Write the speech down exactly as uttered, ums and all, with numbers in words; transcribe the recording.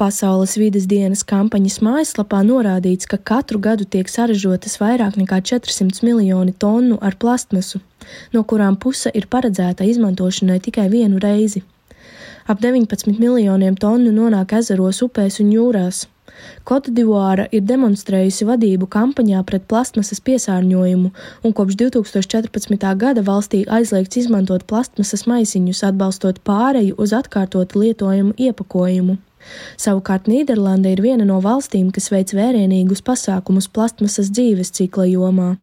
Pasaules vides dienas kampaņas mājaslapā norādīts, ka katru gadu tiek saražotas vairāk nekā četrsimt miljoni tonu ar plastmasu, no kurām puse ir paredzēta izmantošanai tikai vienu reizi. Ap deviņpadsmit miljoniem tonu nonāk ezeros, upēs un jūrās. Kotdivuāra ir demonstrējusi vadību kampaņā pret plastmasas piesārņojumu, un kopš divi tūkstoši četrpadsmitā gada valstī aizliegts izmantot plastmasas maisiņus, atbalstot pāreju uz atkārtotu lietojumu iepakojumu. Savukārt Nīderlande ir viena no valstīm, kas veic vērienīgus pasākumus plastmasas dzīves cikla jomā.